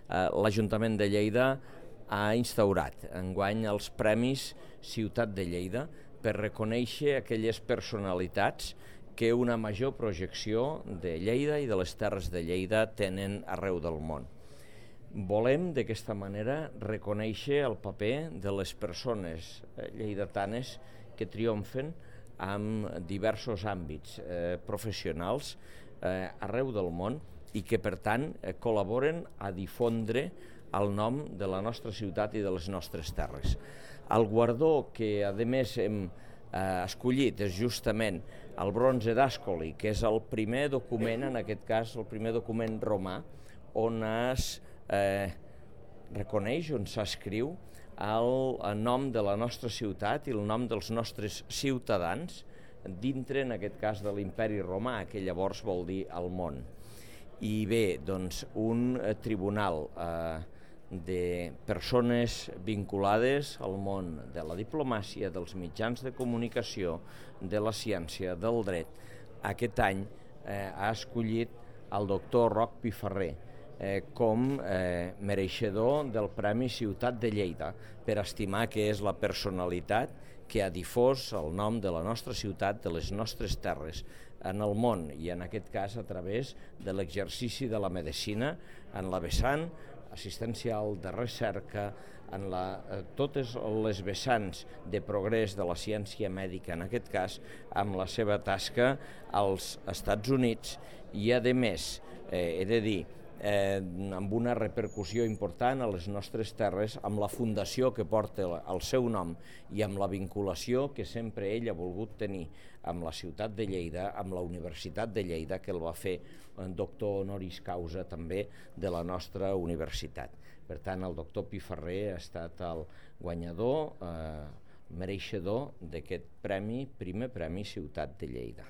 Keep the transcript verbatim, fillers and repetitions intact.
eh, l'Ajuntament de Lleida ha instaurat enguany els Premis Ciutat de Lleida per reconèixer aquelles personalitats que una major projecció de Lleida i de les terres de Lleida tenen arreu del món. Volem d'aquesta manera reconèixer el paper de les persones lleidatanes que triomfen en diversos àmbits eh, professionals eh, arreu del món i que per tant eh, col·laboren a difondre el nom de la nostra ciutat i de les nostres terres. El guardó que a més hem eh, escollit és justament el bronze d'Ascoli, que és el primer document, en aquest cas el primer document romà, on es eh, reconeix, on s'escriu el, el nom de la nostra ciutat i el nom dels nostres ciutadans dintre, en aquest cas, de l'imperi romà, que llavors vol dir el món. I bé, doncs, un eh, tribunal eh, de persones vinculades al món de la diplomàcia, dels mitjans de comunicació, de la ciència, del dret, aquest any eh, ha escollit el doctor Roc Piferrer eh, com eh, mereixedor del Premi Ciutat de Lleida per estimar que és la personalitat que ha difós el nom de la nostra ciutat, de les nostres terres en el món, i en aquest cas a través de l'exercici de la medicina en la vessant assistencial, de recerca, en la, eh, totes les vessants de progrés de la ciència mèdica, en aquest cas amb la seva tasca als Estats Units, i a més, eh, he de dir, Eh, amb una repercussió important a les nostres terres, amb la fundació que porta el seu nom i amb la vinculació que sempre ell ha volgut tenir amb la ciutat de Lleida, amb la Universitat de Lleida, que el va fer doctor honoris causa també de la nostra universitat. Per tant, el doctor Piferrer ha estat el guanyador, eh, mereixedor d'aquest premi, primer Premi Ciutat de Lleida.